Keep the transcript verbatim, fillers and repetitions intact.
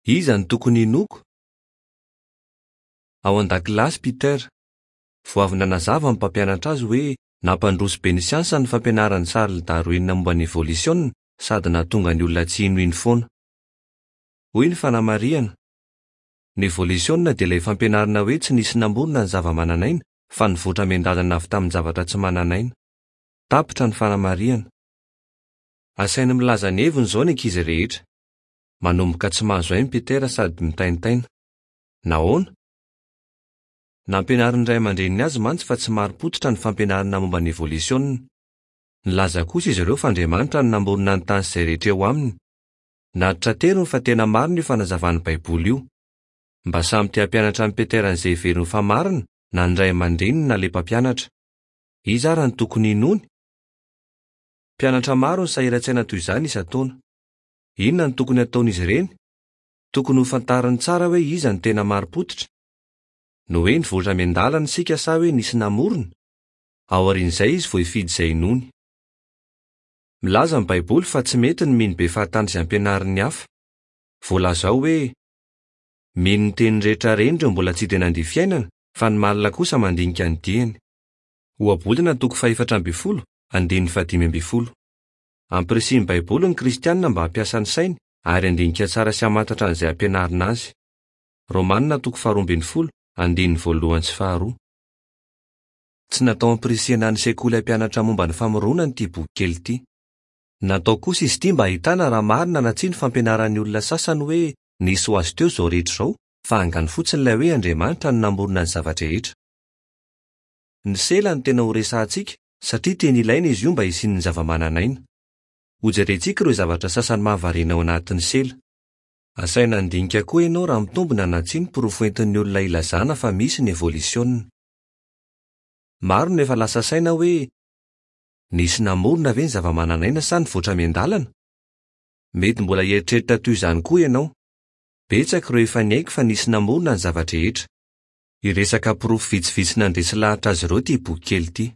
Iza no tokony hinoako? Ao an-dakilasy Peter. Vao avy nanazava ny mpampianatra azy hoe nampandroso be ny siansa ny fampianaran'i Charles Darwin momba ny evolisiona sady nahatonga ny olona tsy hinohino foana. Hoy ny fanamarihana: ny evolisiona dia ilay fampianarana hoe tsy nisy namorona ny zava-manan'aina fa nivoatra miandalana avy tamin'ny zavatra tsy manan'aina. Tapitra ny fanamarihana. Asainy milaza ny heviny izao ny ankizy rehetra. Manomboka tsy mahazo aina Peter sady mitaintaina. Nahoana? Nampianarin'ny ray aman-dreniny azy mantsy fa tsy marim-pototra ny fampianarana momba ny evolisiona. Nilaza kosa izy ireo fa Andriamanitra no namorona ny tany sy izay rehetra eo aminy. Natitrateriny fa tena marina io fanazavan'ny Baiboly io. Mba samy te hampianatra an'i Peter an'izay heveriny fa marina na ny ray aman-dreniny na ilay mpampianatra. Iza ary no tokony hinoany? Mpianatra maro no sahiran-tsaina toy izany isan-taona. Inona no tokony hataon'izy ireny? Tokony ho fantariny tsara hoe iza no tena marim-pototra. Ny hoe nivoatra miandalana isika sa hoe nisy namorona? Aorian'izay izy vao hifidy izay inoany. Milaza ny Baiboly fa tsy mety ny mino be fahatany izay ampianarin'ny hafa. Voalaza ao hoe mino ny teny rehetra reny ireo mbola tsy dia nandia fiainana fa ny malina kosa mandinika ny diany. Ohabolana toko fahefatra ambin'ny folo, andininy fahadimy ambin'ny folo. Ampirisihin'ny Baiboly ny kristianina mba hampiasa ny sainy ary handinika tsara sy hamantatra an'izay ampianarina azy. Romanina toko faharoa ambin'ny folo, andininy voalohany sy faharoa. Tsy natao hampirisihana ny sekoly hampianatra momba ny famoronana ity boky kely ity. Natao kosa izy ity mba hahitana raha marina na tsia ny fampianaran'ny olona sasany hoe nisy ho azy teo izao rehetra izao fa angano fotsiny ilay hoe Andriamanitra no namorona ny zava-drehetra. Ny sela no tena ho resahantsika satria tena ilaina izy io mba hisian'ny zava-manan'aina. Hojerentsika ireo zavatra sasany mahavariana ao anatin'ny sela. Asaina handinika koa ianao raha mitombina na tsia ny porofo entin'ny olona ilazana fa misy ny evolisiona. Maro no efa lasa saina hoe nisy namorona ve ny zava-manan'aina sa nivoatra miandalana? Mety mbola hieritreritra toy izany koa ianao. Betsaka ireo efa niaiky fa nisy namorona ny zava-drehetra. Hiresaka porofo vitsivitsy nandresy lahatra azy ireo ity boky kely ity.